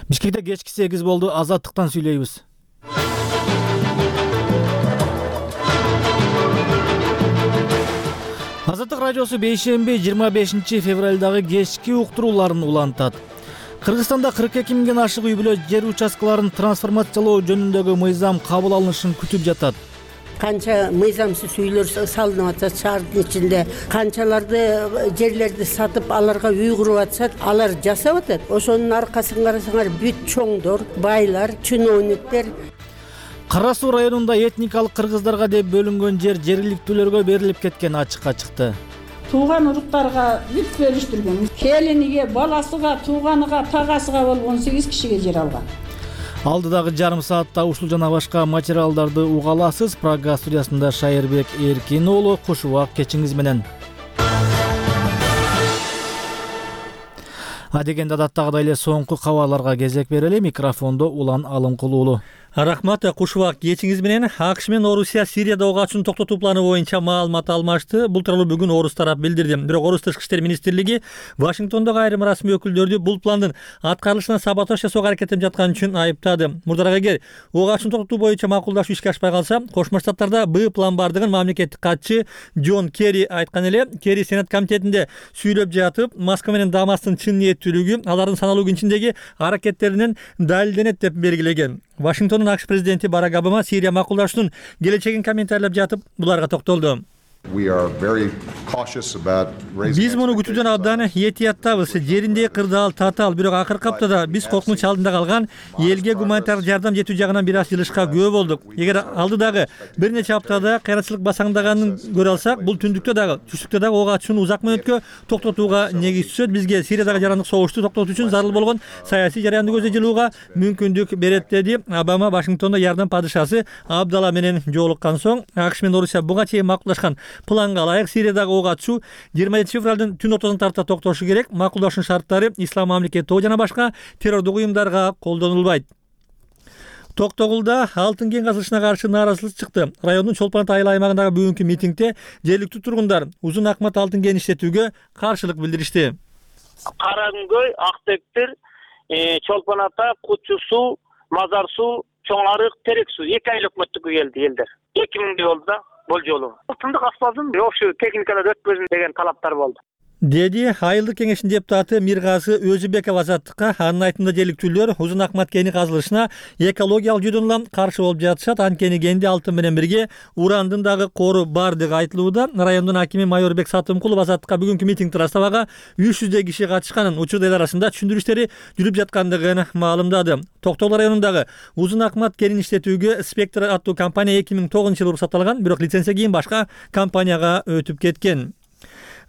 Бишкекте кечки 8 болду. Азаттыктан сүйлөйбүз. Азаттык радиосу бейшемби 25 февралдагы кечки уктурууларын улантат. Кыргызстанда 42 миңден ашык үй-бүлө жер участкаларын трансформациялоо жөнүндөгү мыйзам кабыл алынышын күтүп жатат. Канча мыйзамсыз үйлөр салынып атат шаардын ичинде, канчаларды жерлерди сатып аларга үй куруп атышат, алар жасап атат. Ошонун аркасын карасаңар бүт чоңдор, байлар, чиновниктер. Кара Суу районунда этникалык кыргыздарга деп бөлүнгөн жер жергиликтүүлөргө берилип кеткени ачыкка чыкты. Тууган уруктарга бүт бөлүштүргөн. Келиниге, баласыга, тууганыга, тагасыга болгон 8 кишиге жер алган. Алдыдагы жарым саатта ушул жана башка материалдарды уга аласыз. Прага студиясында Шайырбек Эркин уулу, куш убак кечиңиз менен. Адегенде адаттагыдай эле соңку кабарларга кезек берели. Микрофондо Улан Алымкул уулу. Рахмат, куш убак кечиңиз менен. АКШ менен Орусия Сирияда ок ачууну токтотуу планы боюнча маалымат алмашты. Бул тууралуу бүгүн Орус тарап билдирди. Бирок Орус тышкы иштер министрлиги Вашингтондогу айрым расмий өкүлдөрдү бул пландын аткарылышына саботаж жасоого аракеттенип жатканы үчүн айыптады. Мурдараак эгер ок ачууну токтотуу боюнча макулдашуу ишке ашпай калса, Кошмо Штаттарда Б план бардыгын мамлекеттик катчы Джон Керри айткан эле. Керри Сенат комитетинде сүйлөп жатып, Москва менен Дамастын чын ниеттүүлүгү алардын саналуу күн ичиндеги аракеттеринен далилденет деп белгилеген. Вашингтондун АКШ президенти Барак Обама Сирия макулдашуунун келечегин комментарлап жатып, буларга токтолду. Биз муну күтүүдөн абдан этияттабыз. Жериндеги кырдаал татаал, бирок акыркы аптада биз коркунуч алдында калган элге гуманитардык жардам жетүү жагынан бир аз жылышка күбө болдук. Эгер алдыдагы бир нече аптада кайрачылык басаңдаганын көрө алсак, бул түндүктө дагы, түштүктө дагы ок ачууну узак мөөнөткө токтотууга негиз түзөт. Бизге Сириядагы жарандык согушту токтотуу үчүн зарыл болгон саясий жараянды көздөй жылууга мүмкүндүк берет, деди Обама Вашингтондо жардам падышасы Абдала менен жолуккан соң. АКШ менен Орусия буга чейин макулдашкан планга ылайык Сириядагы ок ачуу 27 февралдын түн ортосуна тарта токтошу керек. Макулдашуунун шарттары Ислам мамлекети жана башка террордук уюмдарга колдонулбайт. Токтогулда алтын кен казылышына каршы нааразычылык чыкты. Райондун Чолпон Ата айыл аймагындагы бүгүнкү митингде жергиликтүү тургундар узун акмат алтын кен иштетүүгө каршылык билдиришти. Каракөй, Актектир, Чолпон Ата, Кучу суу, Мазар суу, Чоң Арык, Терек суу 2 ай өкмөттүккө келди элдер. 2000 болду болжолу. Алтындык асфальтын ошо техникалар өткөзүн деген талаптар болду, деди айылдык кеңештин депутаты Миргазы Өзүбеков Азаттыкка. Анын айтымында жергиликтүүлөр узун акмат кени казылышына экологиялык жүйдөн улам каршы болуп жатышат. Анткени кенде алтын менен бирге урандын дагы кору бардыгы айтылууда. Райондун акими Майорбек Сатымкулов Азаттыкка бүгүнкү митингди ырастабага 300 киши катышканын, учурда эл арасында түшүндүрүү иштери жүрүп жаткандыгын маалымдады. Токтогул районундагы узун акмат кенин иштетүүгө Спектр аттуу компания 2009-жылы уруксат алган, бирок лицензия кийин башка компанияга өтүп кеткен.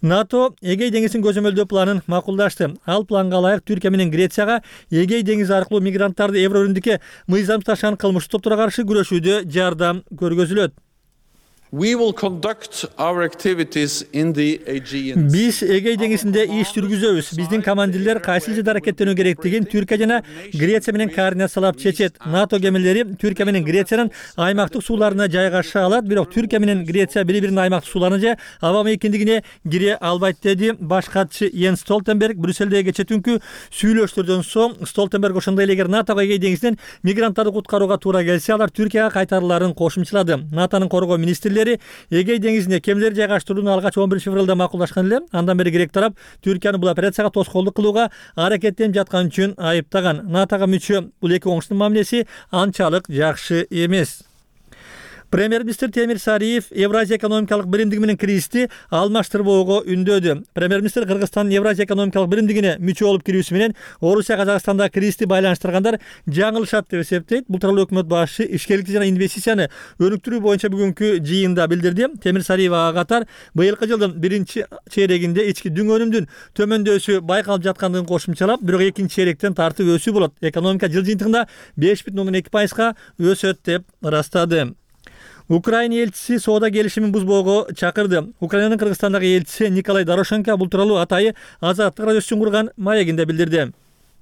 НАТО Эгей деңизин көзөмөлдөө планын макулдашты. Ал планга ылайык Түркия менен Грецияга Эгей деңизи аркылуу мигранттарды Еврорүндүккө мыйзамсыз ташыган кылмыштуу топторго каршы күрөшүүдө жардам көргөзүлөт. Биз Эгей деңизинде иш жүргүзөбүз. Биздин командирлер кайсы жерде аракеттенүү керектигин Түркия жана Греция менен координациялап чечет. НАТО кемелери Түркия менен Грециянын аймактык сууларына жайгаша алат, бирок Түркия менен Греция бири-биринин аймактык сууларына же аба мейкиндигине кире албайт, деди баш катчы Йенс Столтенберг. Брюссельдеги кече түнкү сүйлөштөрдөн соң Столтенберг ошондой эле эгер НАТОго Эгей деңизинен мигранттарды куткарууга туура келсе, алар Түркияга кайтарыларын кошумчалады. НАТОнун коргоо министрлери Эгей деңизине кемелер жайгаштырууну алгач 11 февралда макулдашкан эле. Андан бери грек тарап Түркияны бул операцияга тоскоолдук кылууга аракеттенип жаткан үчүн айыптаган. НАТОго мүчө бул эки оңчунун мамилеси анчалык жакшы эмес. Премьер-министр Темир Сариев Евразия экономикалык биримдиги менен киризисти алмаштырбоого үндөдү. Премьер-министр Кыргызстандын Евразия экономикалык биримдигине мүчө болуп кирүүсү менен Орусия Казакстандагы кризисти байланыштыргандар жаңылышат деп эсептейт. Бул тууралуу өкмөт башы ишкерликти жана инвестицияны өнүктүрүү боюнча бүгүнкү жыйында билдирди. Темир Сариев ага катар быйылкы жылдын биринчи чейрегинде ички дүң өнүмдүн төмөндөшү байкалып жаткандыгын кошумчалап, бирок экинчи чейректен тартып өсүү болот. Экономика жыл жыйынтыгында 5,2%га өсөт деп ырастады. Украина элчиси соода келишимин бузбоого чакырды. Украинанын Кыргызстандагы элчиси Николай Дорошенко бул тууралуу атайы Азаттык радиосу үчүн курган маегинде билдирди.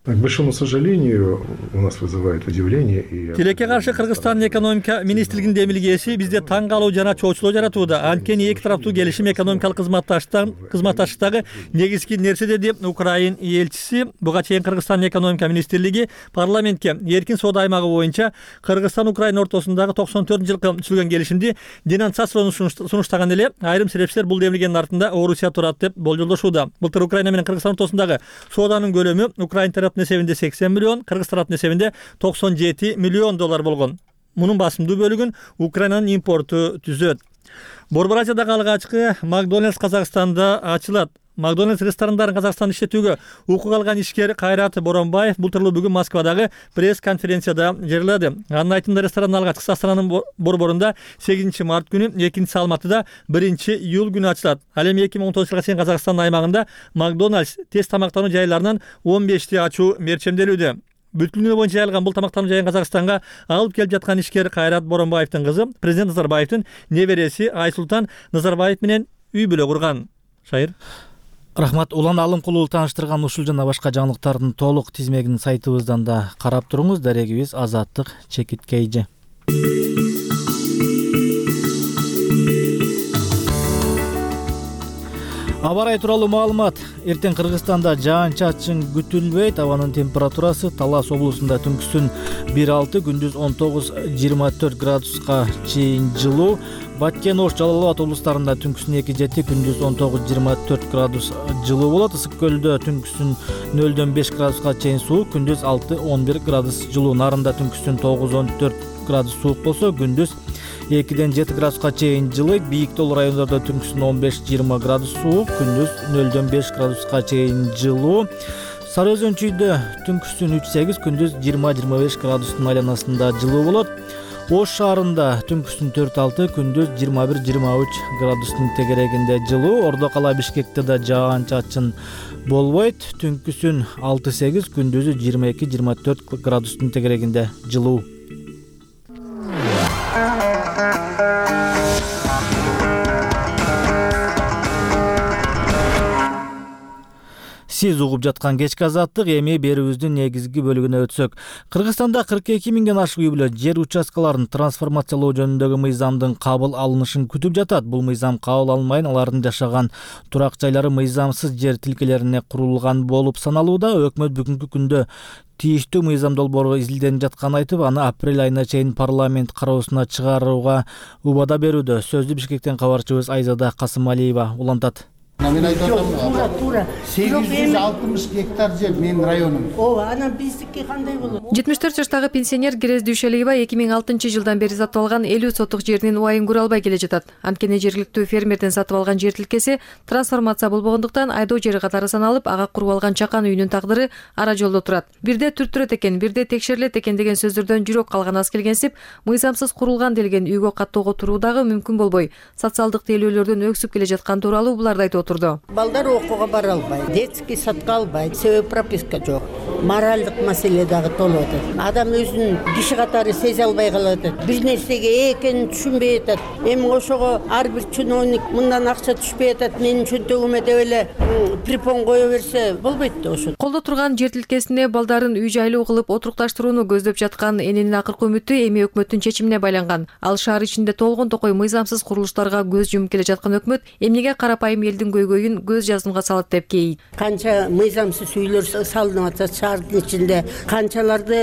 К большому сожалению, у нас вызывает удивление и... Тилекке каршы Кыргызстандын экономика министрлигинин демилгеси бизде таң калуу жана чоочулоо жаратууда. Анткени эки тараптуу келишим экономикалык кызматташтыктагы негизги нерсе, деди Украин элчиси. Буга чейин Кыргызстандын экономика министрлиги парламентке эркин соода аймагы боюнча Кыргызстан Украина ортосундагы 94-жылкы түзүлгөн келишимди денонсациялоону сунуштаган эле. Айрым серепчилер бул демилгенин артында Орусия турат деп болжолдошууда. Былтыр Украина менен Кыргызстан ортосундагы сооданын көлөмү Украин тараптын эсебинде 80 миллион, Кыргыз тараптын эсебинде 97 миллион доллар болгон. Мунун басымдуу бөлүгүн Украинанын импорту түзөт. Борбор Азиядагы алгачкы Макдональдс Казакстанда ачылат. Макдональдс ресторандарын Казакстанда иштетүүгө укук алган ишкер Кайрат Боронбаев былтыр бүгүн Москвадагы пресс-конференцияда жырлады. Анын айтымында ресторандын алгачкысы Астананын борборунда 8 март күнү, экинчиси Алматыда 1 июль күнү ачылат. Ал эми 2019 жылга чейин Казакстандын аймагында Макдональдс тез тамактануу жайларынан 15ти ачуу мерчемделүүдө. Бүт дүйнө боюнча жайылган бул тамактануу жайын Казакстанга алып келип жаткан ишкер Кайрат Боронбаевдин кызы президент Назарбаевдин небереси Айсултан Назарбаев менен үй бүлө курган. Шайыр. Рахмат. Улан Алымкулуу тааныштырган ушул жана башка жаңылыктардын толук тизмегин сайтыбыздан да карап туруңуз. Дарегибиз Азаттык Чекиткейжи. Аба ырайы тууралуу маалымат. Эртең Кыргызстанда жаан-чачын күтүлбөйт. Абанын температурасы Талас облусунда түнкүсүн 1-6, күндүз 19-24 градуска чейин жылуу. Баткен, Ош, Жалал Абад облустарында түнкүсүн 2-7, күндүз 19-24 градус жылуу болот. Ысык көлдө түнкүсүн 0-5 градуска чейин суук, күндүз 6-11 градус жылуу. Нарында түнкүсүн 9-14 градус суук болсо, күндүз 2-7 градуска чейин жылы. Бийик тоолуу райондордо түнкүсүн 15-20 градус суук, күндүз 0-5 градуска чейин жылуу. Сары Өзөнчүйдө түнкүсүн 3-8, күндүз 20-25 градустун айланасында жылуу болот. Ош шаарында түнкүсүн 4-6, күндүз 21-23 градустун тегерегинде жылуу. Ордо кала Бишкекте да жаан-чачын болбойт. Түнкүсүн 6-8, күндүзү 22-24 градустун тегерегинде жылуу. Сиз угуп жаткан кечки азаттык. Эми берүүбүздүн негизги бөлүгүнө өтсөк. Кыргызстанда 42 миңден ашык үй бүлө жер участкаларын трансформациялоо жөнүндөгү мыйзамдын кабыл алынышын күтүп жатат. Бул мыйзам кабыл алынбайын алардын жашаган турак жайлары мыйзамсыз жер тилкелерине курулган болуп саналууда. Өкмөт бүгүнкү күндө тийиштүү мыйзам долбоору изилденип жатканын айтып, аны апрель айына чейин парламент кароосуна чыгарууга убада берүүдө. Сөздү Бишкектен кабарчыбыз Айзада Касымалиева улантат. Мен айтып атам, Туура. 860 гектар жер менин районум. Ооба, анан биздики кандай болот? 74 жаштагы пенсионер Керез Дүйшөлиева 2006 жылдан бери сатып алган 50 соттук жеринин убайын көрө албай келе жатат. Анткени жергиликтүү фермерден сатып алган жер тилкеси трансформация болбогондуктан айдоо жери катары саналып, ага куруп алган чакан үйүнүн тагдыры ара жолдо турат. Бирде түрттүрөт экен, бирде текшерилет экен деген сөздөрдөн жүрөк калган аз келгенсип, мыйзамсыз курулган делген үйгө каттоого туруу дагы мүмкүн болбой, социалдык тейлөөлөрдөн өксүп келе жаткан тууралуу буларды айтып отурду. Балдар окууга бара албайт, детский садка албайт, себеби прописка жок. Моралдык маселе дагы толуп атат. Адам өзүнүн киши катары сезе албай калып атат. Бир нерсеге экенин түшүнбөй атат. Эми ошого ар бир чиновник мындан акча түшпөй атат, менин чөнтөгүмө деп эле припон кое берсе болбойт да ошо. Колдо турган жер тилкесине балдарын үй жайлуу кылып отурукташтырууну көздөп жаткан эненин акыркы үмүтү эми өкмөттүн чечимине байланган. Ал шаар ичинде толгон токой мыйзамсыз курулуштарга көз жумуп келе жаткан өкмөт эмнеге карапайым элдин көйгөйүн көз жазымга салат деп кейийт. Канча мыйзамсыз үйлөр салынып атат шаардын ичинде, канчаларды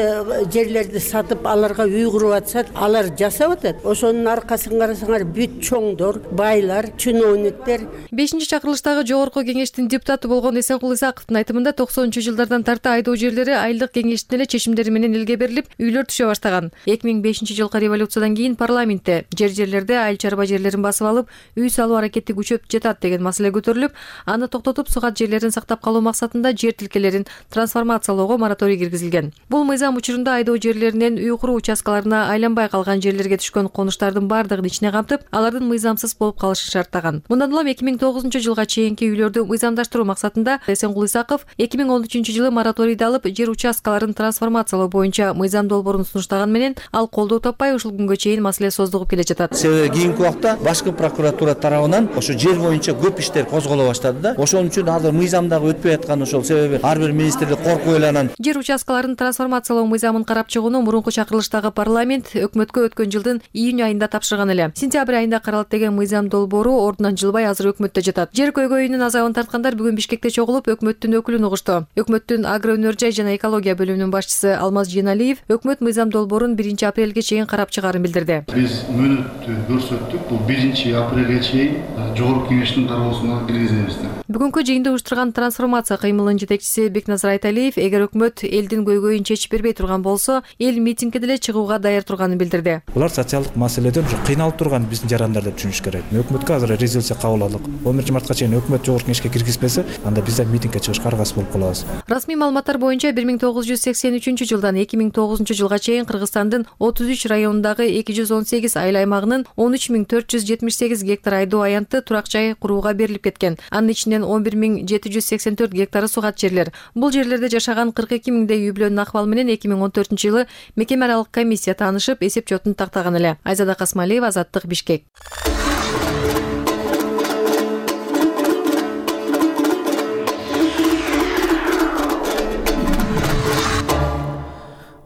жерлерди сатып аларга үй куруп атышат, алар жасап атат. Ошонун аркасын карасаңар бүт чоңдор, байлар, чиновниктер. 5-чакырылыштагы жогорку кеңештин депутаты болгон Эсенкул Исаковдун айтымында 90-жылдардан тарта айдоо жерлери айылдык кеңештин эле чечимдери менен элге берилип, үйлөр түшө баштаган. 2005-жылкы революциядан кийин парламентте жерлерде айыл чарба жерлерин басып алып, үй салуу аракети күчөп жатат деген маселе көтөрүлүп, аны токтотуп сукат жерлерин сактап калуу максатында жер тилкелерин трансформациялоого мораторий киргизилген. Бул мыйзам учурунда айдоо жерлеринен үй куруу участкаларына айланбай калган жерлерге түшкөн конуштардын бардыгын ичине камтып, алардын мыйзамсыз болуп калышын шарттаган. Мындан улам 2009 жылга чейинки үйлөрдү мыйзамдаштыруу максатында Эсенкул Исаков 2013 жылы мораторийди алып, жер участкаларын трансформациялоо боюнча мыйзам долбоорун сунуштаган менен ал колдоо таппай ушул күнгө чейин маселе создугуп келе жатат. Себеби кийинки убакта башкы прокуратура тарабынан ошо жер боюнча көп иштер козголо баштады да. Ошон үчүн азыр мыйзамдагы өтпөй аткан ошол себеби ар бир министрлик коркуп эле анан жер участкаларын трансформациялоо мыйзамын карап чыгууну мурунку чакырылыштагы парламент өкмөткө өткөн жылдын июнь айында тапшырган эле. Сентябрь айында каралат деген мыйзам долбоору ордунан жылбай азыр өкмөттө жатат. Жер көйгөйүнүн азабын тарткандар бүгүн Бишкекте чогулуп өкмөттүн өкүлүн угушту. Өкмөттүн агро өнөр жай жана экология бөлүмүнүн башчысы Алмаз Женалиев өкмөт мыйзам долбоорун 1 апрелге чейин карап чыгаарын билдирди. Биз мөөнөттү көрсөттүк. Бул 1 апрелге чейин жогорку кеңештин кароосуна киргизебиз деп. Бүгүнкү жыйынды уюштурган трансформация кыймылынын жетекчиси Бекназар Айталиев эгер өкмөт элдин көйгөйүн чечип бербей турган болсо, эл митингге деле чыгууга даяр турганын билдирди. Булар социалдык маселеден кыйналып турган биздин жарандар деп түшүнүш керек. Өкмөткө азыр резолюция кабыл алдык. 11 мартка чейин өкмөт жогорку кеңешке киргизбесе, анда биз да митингге чыгышка аргасыз болуп калабыз. Расмий маалыматтар боюнча 1983 жылдан 2009 жылга чейин Кыргызстандын 33 районундагы 218 айыл аймагынын 13478 гектар айдоо аянты турак жай курууга берилип кеткен. Анын ичинен 11784 гектары сугат жерлер. Бул жерлерде жашаган 42 миңдей үй бүлөнүн акыбалы менен 2014 жылы мекеме аралык комиссия таанышып, эсеп жотун тактаган эле. Айзада Касмалиева, Азаттык, Бишкек.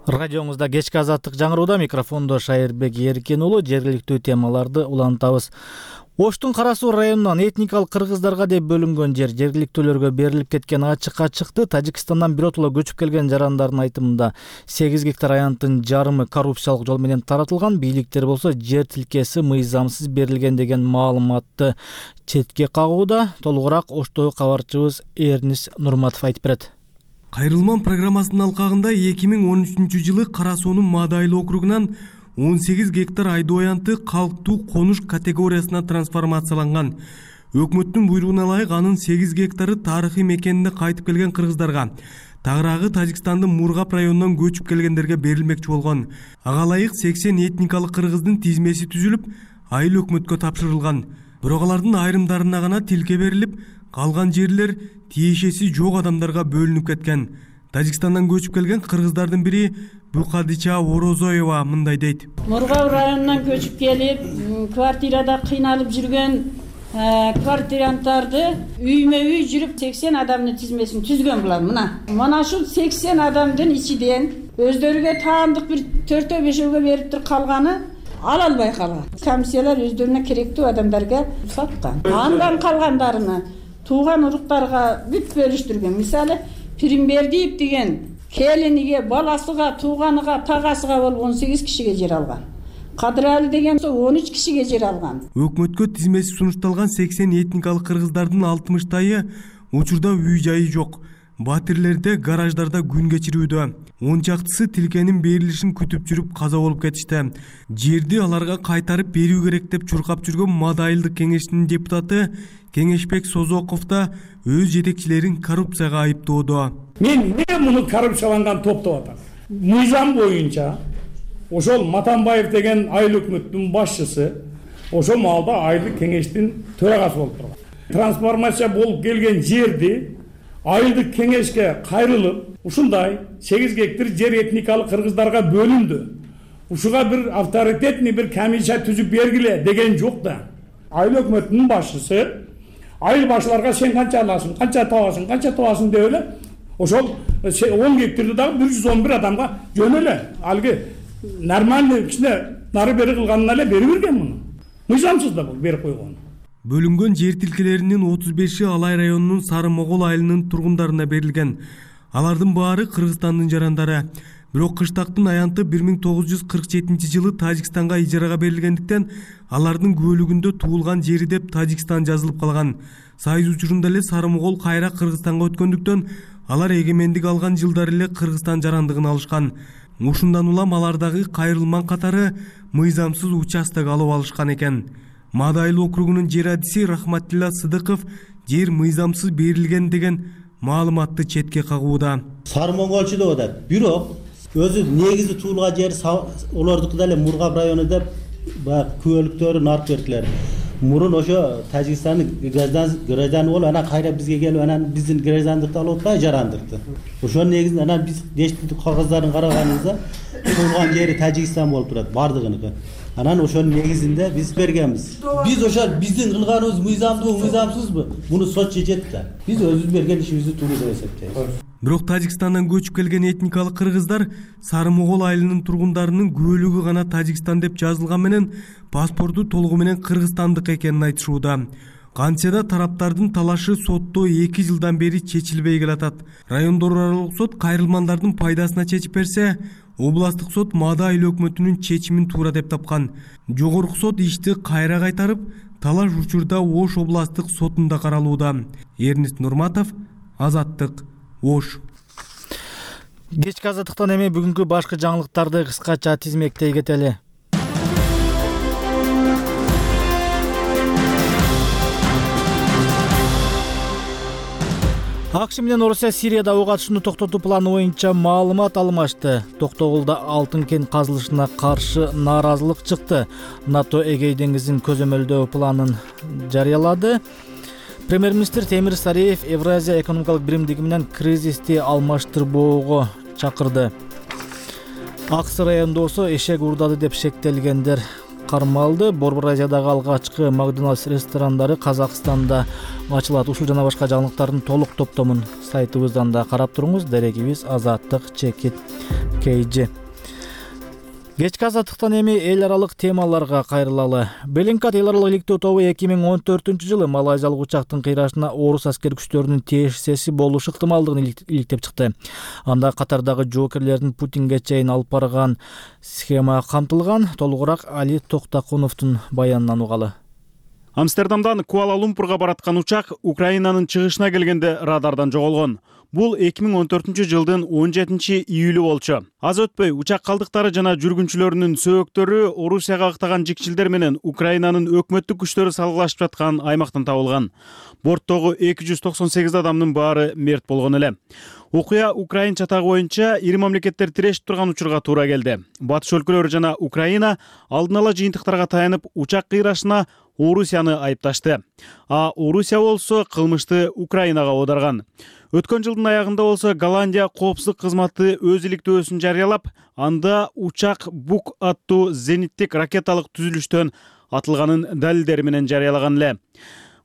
Радиоңузда кечки Азаттык жаңырууда, микрофондо Шайырбек Эркен уулу. Жергиликтүү темаларды улантабыз. Оштун Кара Суу районунан этникалык кыргыздарга деп бөлүнгөн жер жергиликтүүлөргө берилип кеткен ачыкка чыкты. Тажикстандан биротоло көчүп келген жарандардын айтымында 8 гектар аянттын жарымы коррупциялык жол менен таратылган, бийликтер болсо жер тилкеси мыйзамсыз берилген деген маалыматты четке кагууда. Толугураак Оштогу кабарчыбыз Эрнис Нурматов айтып берет. Кайрылман программасынын алкагында 2013 жылы Кара Суунун Мадайлы округунан 18 гектар айдоо аянты калктуу конуш категориясына трансформацияланган. Өкмөттүн буйругуна ылайык анын 8 гектары тарыхый мекенине кайтып келген кыргыздарга, тагыраагы Тажикстандын Мургап районунан көчүп келгендерге берилмекчи болгон. Ага ылайык 80 этникалык кыргыздын тизмеси түзүлүп, айыл өкмөткө тапшырылган. Бирок алардын айрымдарына гана тилке берилип, калган жерлер тиешеси жок адамдарга бөлүнүп кеткен. Тажикстандан көчүп келген кыргыздардын бири Букадича Орозоева мындай дейт. Мургап районунан көчүп келип, квартирада кыйналып жүргөн квартиранттарды үймө үй жүрүп 80 адамдын тизмесин түзгөн булар. Мына ушул 80 адамдын ичиден өздөрүгө таандык бир 4-5-ге берип туруп калганы ала албай калган. Комиссиялар өздөрүнө керектүү адамдарга саткан. Андан калгандарыны тууган уруктарга бүт бөлүштүргөн. Мисалы, Пиримбердиев деген келиниге, баласыга, тууганыга, тагасыга болуп 18 кишиге жер алган. Кадыралы деген 13 кишиге жер алган. Өкмөткө тизмеси сунушталган 80 этникалык кыргыздардын 60-тайы учурда үй жайы жок. Батирлерде, гараждарда күн кечирүүдө. 10 чактысы тилкенин берилишин күтүп жүрүп каза болуп кетишти. Жерди аларга кайтарып берүү керек деп чуркап жүргөн Мадайлык кеңештин депутаты Кеңешбек Созоков да өз жетекчилерин коррупцияга айыптоодо. Мен эмне муну коррупцияланган топ деп атам? Мыйзам боюнча ошол Матанбаев деген айыл өкмөттүн башчысы ошол маалда айылдык кеңештин төрагасы болуп турган. Трансформация болуп келген жерди айылдык кеңешке кайрылып, ушундай 8 гектар жер этникалык кыргыздарга бөлүндү. Ушуга бир авторитетный бир комиссия түзүп бергиле деген жок да. Айыл өкмөтүнүн башчысы айыл башчыларга сен канча аласың, канча табасың деп эле ошол 10 гектарды дагы 111 адамга жөн эле алгы нормальный кичине нары бери кылганына эле берип берген муну. Мыйзамсыз да бул берип койгон. Бөлүнгөн жер тилкелеринин 35-и Алай районунун Сары Могол айылынын тургундарына берилген. Алардын баары Кыргызстандын жарандары. Бирок кыштактын аянты 1947 жылы Тажикстанга ижарага берилгендиктен алардын көөлүгүндө туулган жери деп Тажикстан жазылып калган. Сайыз учурунда эле Сары Могол кайра Кыргызстанга өткөндүктөн алар эгемендик алган жылдары эле Кыргызстан жарандыгын алышкан. Ушундан улам алардагы кайрылман катары мыйзамсыз участок алып алышкан экен. Мадайлы округунун жер адиси Рахматилла Сыдыков жер мыйзамсыз берилген деген маалыматты четке кагууда. Сары Моголчу деп атат. Бирок өзү негизи туулган жери олордуку деле Мургап району деп күбөлүктөрүн алып бердилер. Мурун ошо Тажикстандын гражданы болуп, анан кайра бизге келип, анан биздин граждандыкты алып атпайбы, жарандыкты. Ошонун негизинде анан биз дештик кагыздарын караганыбызда туулган жери Тажикстан болуп турат, бардыгыныкы. Анан ошонун негизинде биз бергенбиз. Биз ошол биздин кылганыбыз мыйзамдуу, мыйзамсызбы? Муну сот чечет да. Биз өзүбүз берген ишибизди туура деп эсептейбиз. Бирок Тажикстандан көчүп келген этникалык кыргыздар Сары Могол айылынын тургундарынын көөлүгү гана Тажикстан деп жазылган менен паспорту толугу менен кыргызстандык экенин айтышууда. Кантсе да тараптардын талашы сотто 2 жылдан бери чечилбей келатат. Райондор аралык сот кайрылмандардын пайдасына чечип берсе, областык сот Маада айыл өкмөтүнүн чечимин туура деп тапкан. Жогорку сот ишти кайра кайтарып, талаш учурда Ош областык сотунда каралууда. Эрнест Нурматов, Азаттык, Ош. Кечки азаттыктан эми бүгүнкү башкы жаңылыктарды кыскача тизмектей кетели. АКШ менен Орусия Сирияда ок атышууну токтотуу планы боюнча маалымат алмашты. Токтогулда алтын кен казылышына каршы нааразылык чыкты. НАТО Эгей деңизин көзөмөлдөө планын жарыялады. Премьер-министр Темир Сариев Евразия экономикалык биримдиги менен кризисти алмаштырбоого чакырды. Аксы райондосу эшек уурдады деп шектелгендер кармалды. Борбор Азиядагы алгачкы Макдоналдс ресторандары Казакстанда ачылат. Ушул жана башка жаңылыктардын толук топтомун сайтыбыздан да карап туруңуз. Дерегибиз Азаттык_KG. Кечки азаттыктан эми эл аралык темаларга кайрылалы. Беллингкат эл аралык иликтөө тобу 2014-жылы малайзиялык учактын кыйрашына орус аскер күчтөрүнүн тиешеси болушу ыктымалдыгын иликтеп чыкты. Анда катардагы жоокерлердин Путинге чейин алып барган схема камтылган. Толугураак Али Токтакуновдун баянынан угалы. Амстердамдан Куала-Лумпурга бараткан учак Украинанын чыгышына келгенде радардан жоголгон. Бул 2014-жылдын 17-июлү болчу. Аз өтпөй учак калдыктары жана жүргүнчүлөрүнүн сөөктөрү Орусияга ыктаган жикчилдер менен Украинанын өкмөттүк күчтөрү салгылашып жаткан аймактан табылган. Борттогу 298 адамдын баары мерт болгон эле. Окуя украин чатагы боюнча ири мамлекеттер тирешип турган учурга туура келди. Батыш өлкөлөрү жана Украина алдын ала жыйынтыктарга таянып учак кыйрашына Орусияны айыпташты. А Орусия болсо кылмышты Украинага оодарган. Өткөн жылдын аягында болсо Голландия коопсуздук кызматы өз иликтөөсүн жарыялап, анда учак Бук аттуу зениттик ракеталык түзүлүштөн атылганын далилдери менен жарыялаган эле.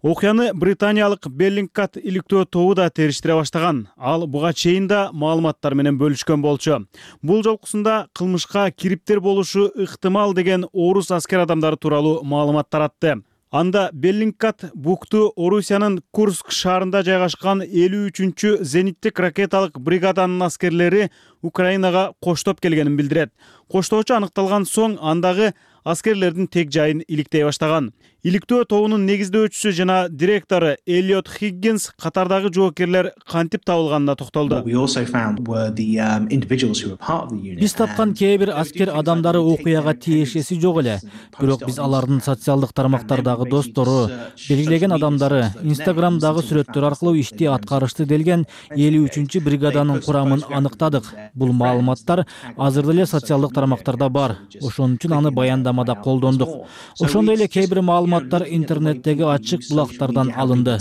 Окуяны британиялык Беллингкат иликтөө тобу да териштире баштаган. Ал буга чейин да маалыматтар менен бөлүшкөн болчу. Бул жолкусунда кылмышка кириптер болушу ыктымал деген орус аскер адамдары тууралуу маалымат таратты. Анда Беллингкат Букту Орусиянын Курск шаарында жайгашкан 53-чү зениттик ракеталык бригаданын аскерлери Украинага коштоп келгенин билдирет. Коштоочу аныкталган соң андагы аскерлердин тег жайын иликтей баштаган. Иликтөө тобунун негиздөөчүсү жана директору Эллиот Хиггинс катардагы жоокерлер кантип табылганына токтолду. Биз тапкан кээ бир аскер адамдары окуяга тиешеси жок эле. Бирок биз алардын социалдык тармактардагы достору, белгилеген адамдары, Инстаграмдагы сүрөттөр аркылуу ишти аткарышты делген 53-чү бригаданын курамын аныктадык. Бул маалыматтар азыр эле социалдык тармактарда бар. Ошон үчүн аны баяндамада колдондук. Ошондой эле кээ бир маалыматтар интернеттеги ачык булактардан алынды.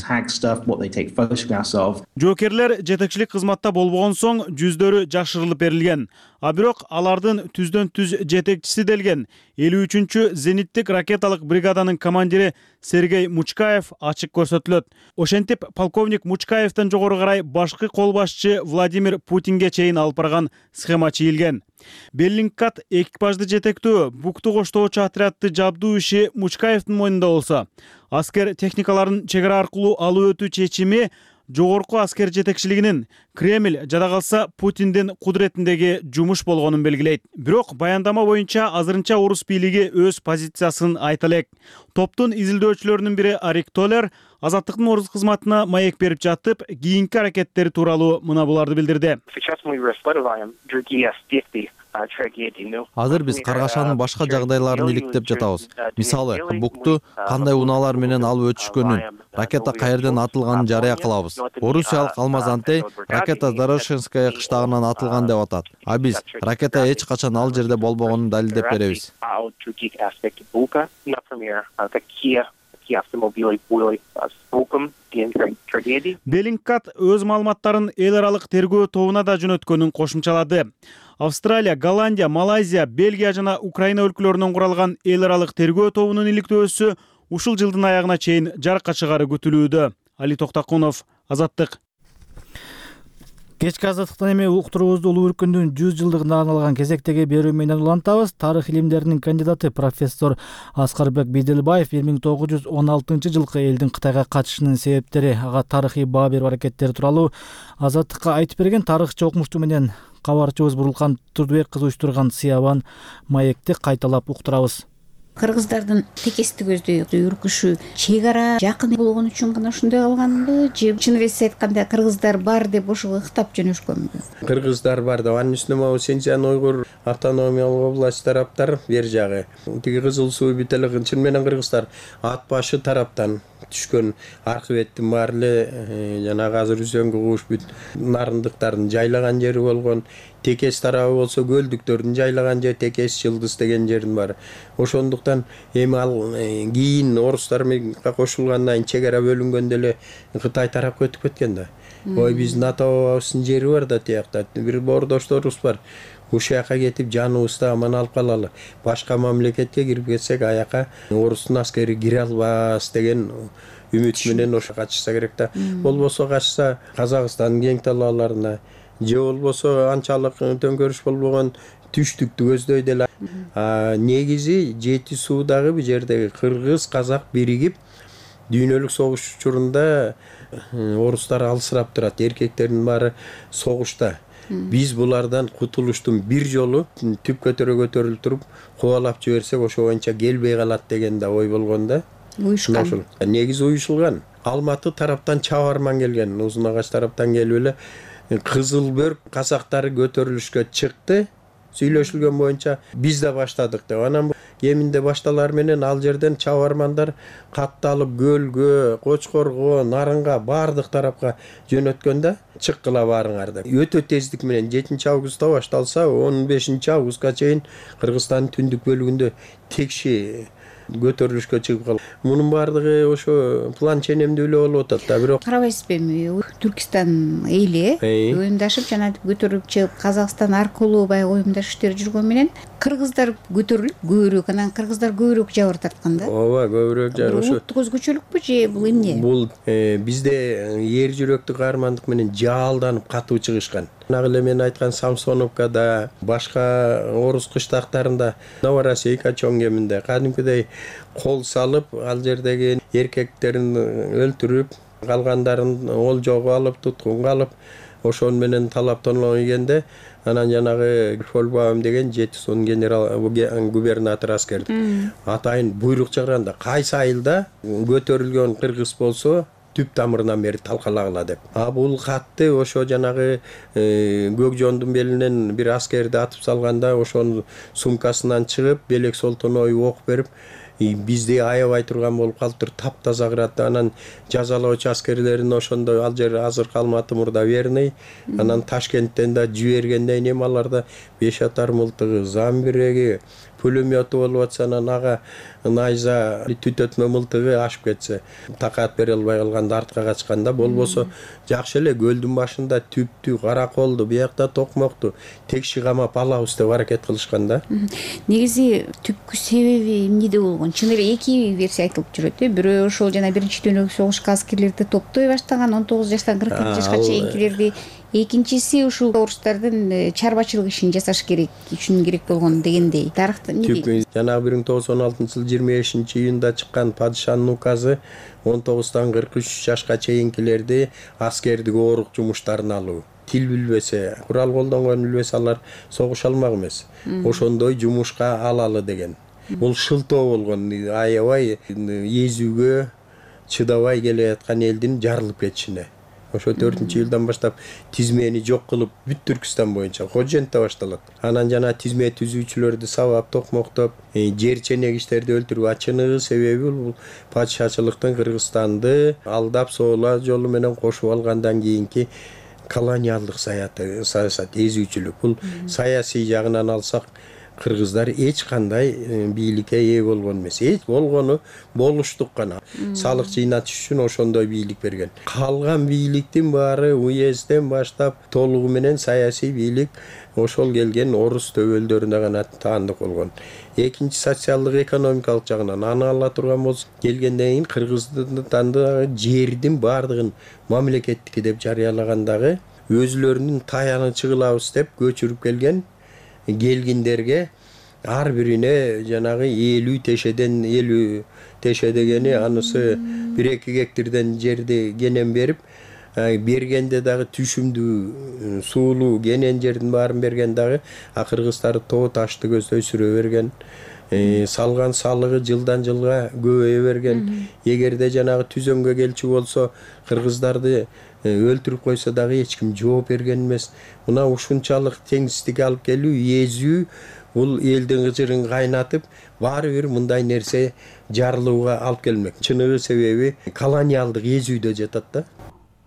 Жоокерлер жетекчилик кызматта болбогон соң жүздөрү жашырылып берилген. А бирок алардын түздөн түз жетекчиси делген 53-чү зениттик ракеталык бригаданын командири Сергей Мучкаев ачык көрсөтүлөт. Ошентип полковник Мучкаевден жогору карай башкы кол башчы Владимир Путинге чейин алып барган схема чийилген. Беллингкат экипажды жетектөө Букту коштоочу отрядды жабдуу иши Мучкаевдин мойнунда болсо, аскер техникаларын чек ара аркылуу алып өтүү чечими жогорку аскер жетекчилигинин Кремль жада калса Путиндин кудуретиндеги жумуш болгонун белгилейт. Бирок баяндама боюнча азырынча орус бийлиги өз позициясын айта элек. Топтун изилдөөчүлөрүнүн бири Арик Толер Азаттыктын орус кызматына маек берип жатып, кийинки аракеттери тууралуу мына буларды билдирди. Азыр биз каргашанын башка жагдайларын иликтеп жатабыз. Мисалы, Букту кандай унаалар менен алып өтүшкөнүн, ракета каерден атылганын жарыя кылабыз. Орусиялык Алмаз Антей ракета Дорошенская кыштагынан атылган деп атат. А биз ракета эч качан ал жерде болбогонун далилдеп беребиз. Беллингкат өз маалыматтарын эл аралык тергөө тобуна да жөнөткөнүн кошумчалады. Австралия, Голландия, Малайзия, Бельгия жана Украина өлкөлөрүнөн куралган эл аралык тергөө тобунун иликтөөсү ушул жылдын аягына чейин жарыкка чыгаары күтүлүүдө. Али Токтакунов, Азаттык. Кечки азаттыктан эми уктуруубузду улуу өркүндүн 100 жылдыгына арналган кезектеги берүү менен улантабыз. Тарых илимдеринин кандидаты профессор Аскарбек Биделбаев 1916 жылкы элдин Кытайга качышынын себептери, ага тарыхый баа берүү аракеттери тууралуу Азаттыкка айтып берген тарыхчы окумуштуу менен кабарчыбыз Бурулкан Турдубек кызы уюштурган Сыябан маекти кайталап уктурабыз. Кыргыздардын текести көздөй үркүшү чек ара жакын болгон үчүн гана ушундай калганбы же чын эле айтканда кыргыздар бар деп ошого ыктап жөнөшкөнбү? Кыргыздар бар деп анын үстүнө могу Синьцзян уйгур автономиялык область тараптар бер жагы тиги Кызыл суу бүт эле чын менен кыргыздар ат башы тараптан түшкөн архиветтин баары эле жанагы азыр үзөңгү кууш бүт нарындыктардын жайлаган жери болгон, Текес тарабы болсо көлдүктөрдүн жайлаган жери Текес Жылдыз деген жердин баары. Ошондуктан эми ал кийин орустар менен кошулгандан кийин чек ара бөлүнгөндө эле Кытай тарапка өтүп кеткен да. Ой биздин ата бабабыздын жери бар да тиякта, бир боордошторубуз бар. Ушул жака кетип жаныбызды аман алып калалы. Башка мамлекетке кирип кетсек аяка орустун аскери кире албас деген үмүт менен ошо качышса керек да. Болбосо качса Казакстандын кең талааларына же болбосо анчалык төңкөрүш болбогон түштүктү көздөйт эле. Негизи Жети суудагы бул жердеги кыргыз, казак биригип дүйнөлүк согуш учурунда орустар алысырап турат. Эркектердин баары согушта. Биз булардан кутулуштун бир жолу түп көтөрүлүп туруп кубалап жиберсек ошо боюнча келбей калат деген да ой болгон да. Уюшкан. Негизи уюшулган. Алматы тараптан чабарман келген, Узун Агач тараптан келип эле Кызыл Бөрк казактары көтөрүлүшкө чыкты. Сүйлөшүлгөн боюнча биз да баштадык деп. Анан кеминде башталар менен ал жерден чабармандар катталып көлгө, Кочкорго, Нарынга баардык тарапка жөнөткөндө чыккыла баарыңар деп. Өтө тездик менен 7-августта башталса 15-августка чейин Кыргызстандын түндүк бөлүгүндө текши көтөрүлүшкө чыгып калган. Мунун баардыгы ошо план ченемдүү эле болуп атат да, бирок карабайсызбы эми Түркистан эли оюмдашып жана көтөрүлүп чыгып Казакстан аркылуу баягы оюмдаш иштер жүргөн менен кыргыздар көтөрүлүп көбүрөөк, анан кыргыздар көбүрөөк жабыр тарткан да. Ооба, көбүрөөк жабыр. Ошо улуттук өзгөчөлүкпү же бул эмне? Бул бизде эр жүрөктүк каармандык менен жаалданып катуу чыгышкан. Нагы эле мен айткан Самсоновкада, башка орус кыштактарында, Новороссийка чоң кеминде кадимкидей кол салып, ал жердеги эркектерин өлтүрүп, калгандарын олжого алып, туткунга алып, ошон менен талаптануу ийгенде, анан жанагы Фольбаум деген Жети суунун генерал губернатор аскерди. Атайын буйрук чыгарганда кайсы айылда көтөрүлгөн кыргыз болсо түп тамырынан бери талкалагыла деп. Бул катты ошо жанагы Көкжондун белинен бир аскерди атып салганда, ошонун сумкасынан чыгып, Белек Солтоной ок берип, бизди аябай турган болуп калыптыр, таптаза кырат. Анан жазалоочу аскерлерин ошондо ал жер азыркы Алматы мурда Верный, анан Ташкенттен да жибергенден кийин аларда 5 атар мылтыгы, замбиреги, пулемету болуп атса, анан ага найза түтөтмө мылтыгы ашып кетсе, такат бере албай калганда артка качканда, болбосо жакшы эле көлдүн башында түптү, караколду, биякта токмокту текши камап алабыз деп аракет кылышкан да. Негизи түпкү себеби эмнеде болгон? Чын эле эки версия айтылып жүрөт. Бирөө ошол жана биринчи дүйнөлүк согушка аскерлерди топтой баштаган 19 жаштан 42 жашка чейинкилерди. Экинчиси ушул орустардын чарбачылык ишин жасаш керек үчүн керек болгон дегендей. Тарыхта эмне дейт? Жанагы 1916 жыл 25-июнда чыккан падышанын указы 19-тан 43 жашка чейинкилерди аскердик оорук жумуштарына алуу. Тил билбесе, курал колдонгон билбесе алар согуша алмак эмес. Ошондой жумушка алалы деген. Бул шылтоо болгон, аябай эзүүгө чыдабай келе аткан элдин жарылып кетишине. Ошо 4-жылдан баштап тизмени жок кылып, бүт Түркистан боюнча Ходжентте башталат. Анан жана тизме түзүүчүлөрдү сабап, токмоктоп, жер ченегичтерди өлтүрүү ачыныгы себеби бул падышачылыктын Кыргызстанды алдап соола жолу менен кошуп алгандан кийинки колониалдык саясат, эзүүчүлүк. Бул саясий жагынан алсак, кыргыздар эч кандай бийликке ээ болгон эмес. Эч болгону болуштук гана. Салык жыйнатыш үчүн ошондой бийлик берген. Калган бийликтин баары уезден баштап толугу менен саясий бийлик ошол келген орус төбөлдөрүнө гана таандык болгон. Экинчи социалдык экономикалык жагынан аны ала турган болсо келгенден кийин Кыргызстандагы жердин баардыгын мамлекеттики деп жарыялагандагы өзүлөрүнүн таянычы кылабыз деп көчүрүп келгендерге ар бирине жанагы 50 теше дегени анысы 1-2 гектардан жерди кенен берип бергенде дагы түшүмдүү суулуу кенен жердин баарын берген дагы кыргыздар тоо ташты көздөй сүрө берген. Салган салыгы жылдан жылга көбөйө берген. Эгерде жанагы түзөмгө келчү болсо кыргыздарды өлтүрүп койсо дагы эч ким жооп берген эмес. Мына ушунчалык теңсиздик алып келүү, эзүү бул элдин кыжырын кайнатып, баары бир мындай нерсе жарылууга алып келмек. Чыныгы себеби колониалдык эзүүдө жатат да.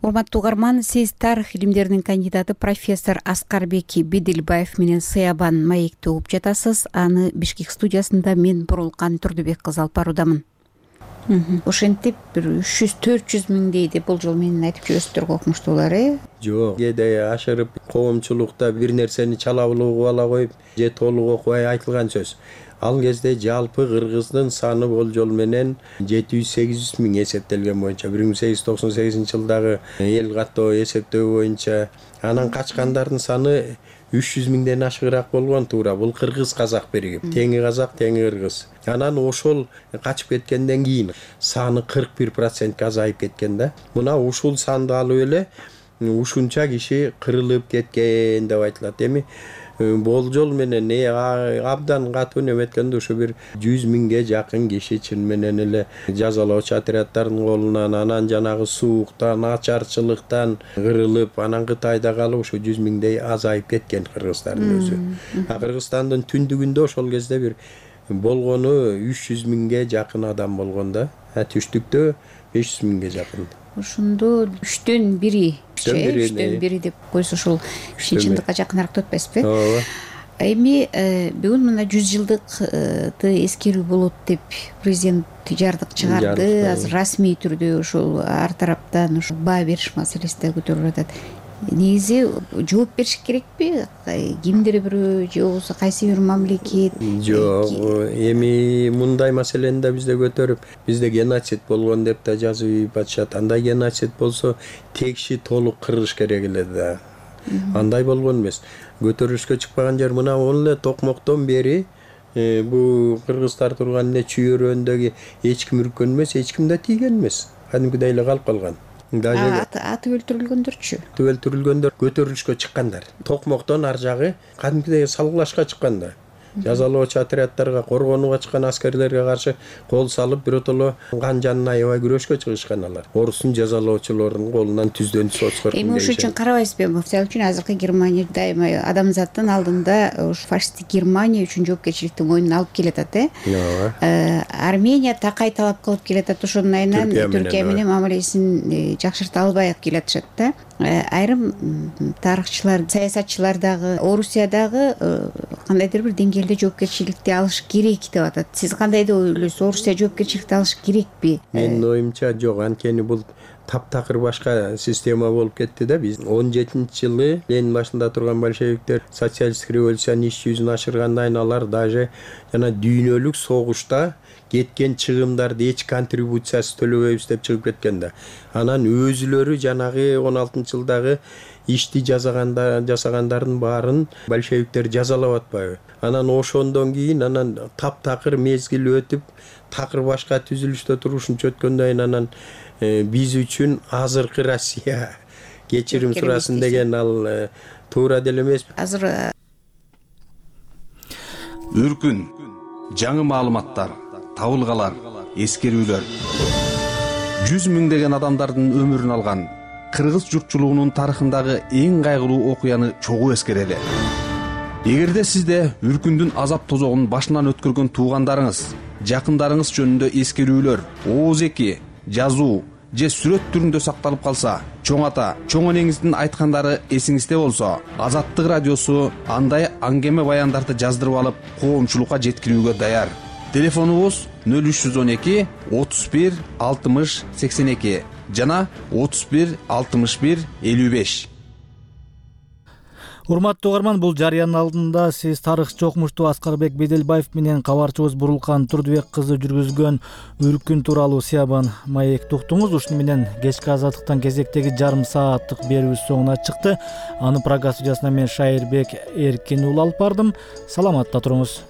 Урматтуу угарман, сиз тарых илимдеринин кандидаты профессор Аскарбек Бедилбаев менен Сыябан маекти угуп жатасыз. Аны Бишкек студиясында мен Бурулкан Турдубек кызы алып баруудамын. Ошентип бир 300-400 миңдей деп болжол менен айтып жүрөсүздөр окумуштуулар, Жок, кээде ашырып коомчулукта бир нерсени чалабылуу ала коюп, же толук окубай айтылган сөз. Ал кезде жалпы кыргыздын саны болжол менен 700-800 миң эсептелген боюнча 1898-жылдагы эл каттоо эсептөө боюнча, анан качкандардын саны 300 миңден ашыгыраак болгон туура. Бул кыргыз казак биригип, теңи казак, теңи кыргыз. Анан ошол качып кеткенден кийин саны 41% азайып кеткен да. Мына ушул санды алып эле ушунча киши кырылып кеткен деп айтылат. Эми болжол менен абдан катуу неметкенде ушу бир 100 миңге жакын киши чын менен эле жазалоочу отряддардын колунан, анан жанагы сууктан, ачарчылыктан кырылып, анан Кытайда калып ушу 100 миңдей азайып кеткен кыргыздардын өзү. Кыргызстандын түндүгүндө ошол кезде бир болгону 300 миңге жакын адам болгон да. Түштүктө 500 миңге жакын. Ошондо 3төн 1 деп койсо ушул чындыкка жакыныраак деп атпайсызбы? Ооба. Эми бүгүн мына 100 жылдыкты эскерүү болот деп президент жардык чыгарды. Азыр расмий түрдө ушул ар тараптан ушу баа бериш маселеси да көтөрүлүп атат. Негизи жооп бериш керекпи? Кимдир бирөө же болбосо кайсы бир мамлекет? Жок, эми мындай маселени да бизде көтөрүп, бизде геноцид болгон деп да жазып атышат. Андай геноцид болсо текши толук кырыш керек эле да. Андай болгон эмес. Көтөрүлүшкө чыкпаган жер мына эле токмоктон бери бу кыргыздар турган эле чүйөрөндөгү эч ким үрккөн эмес, эч ким да тийген эмес. Кадимкидей эле калып калган. Атып өлтүрүлгөндөрчү? Өлтүрүлгөндөр көтөрүлүшкө чыккандар. Токмоктон ар жагы кадимкидей салгылашка чыкканда. Жазалоочу отряддарга, коргонууга чыккан аскерлерге каршы кол салып, биротоло кан жанын аябай күрөшкө чыгышкан алар. Орустун жазалоочулорунун колунан түздөн соцкор. Эми ошон үчүн карабайсызбы, мисалы үчүн азыркы Германия дайыма адамзаттын алдында ушу фашисттик Германия үчүн жоопкерчиликти мойнуна алып келатат, Армения такай талап кылып келатат, ошонун айынан Түркия менен мамилесин жакшырта албай келатышат да. Айрым тарыхчылар, саясатчылар дагы Орусия дагы кандайдыр бир деңгээлде жоопкерчиликти алыш керек деп атат. Сиз кандай деп ойлойсуз? Орусия жоопкерчиликти алыш керекпи? Менин оюмча жок, анткени бул таптакыр башка система болуп кетти да. Биз 17-жылы Ленин башында турган большевиктер социалисттик революциянын иш жүзүн ашыргандан кийин алар даже жана дүйнөлүк согушта кеткен чыгымдарды эч контрибуциясы төлөбөйбүз деп чыгып кеткен да. Анан өзүлөрү жанагы 16-жылдагы ишти жасагандардын баарын большевиктер жазалап атпайбы? Анан ошондон кийин анан таптакыр мезгил өтүп, такыр башка түзүлүштө турушунча өткөндөн кийин анан биз үчүн азыркы Россия кечирим сурасын деген ал туура деле эмес. Азыр үркүн, жаңы маалыматтар, табылгалар, эскерүүлөр 100 миңдеген адамдардын өмүрүн алган кыргыз журтчулугунун тарыхындагы эң кайгылуу окуяны чогуу эскерели. Эгерде сизде үркүндүн азап тозогун башынан өткөргөн туугандарыңыз, жакындарыңыз жөнүндө эскерүүлөр, ооз эки, жазуу же сүрөт түрүндө сакталып калса, чоң ата, чоң энеңиздин айткандары эсиңизде болсо, Азаттык радиосу андай аңгеме баяндарды жаздырып алып, коомчулукка жеткирүүгө даяр. Телефонубуз 0312 31 60 82 жана 31 61 55. Урматтуу угарман, бул жарыянын алдында сиз тарыхчы окумуштуу Аскарбек Беделбаев менен кабарчыбыз Бурулкан Турдубек кызы жүргүзгөн Үркүн тууралуу Сиябан маекти уктуңуз. Ушуну менен кечки Азаттыктан кезектеги жарым сааттык берүүбүз соңуна чыкты. Аны программа студиясына мен Шайырбек Эркин уулу алып бардым. Саламатта туруңуз.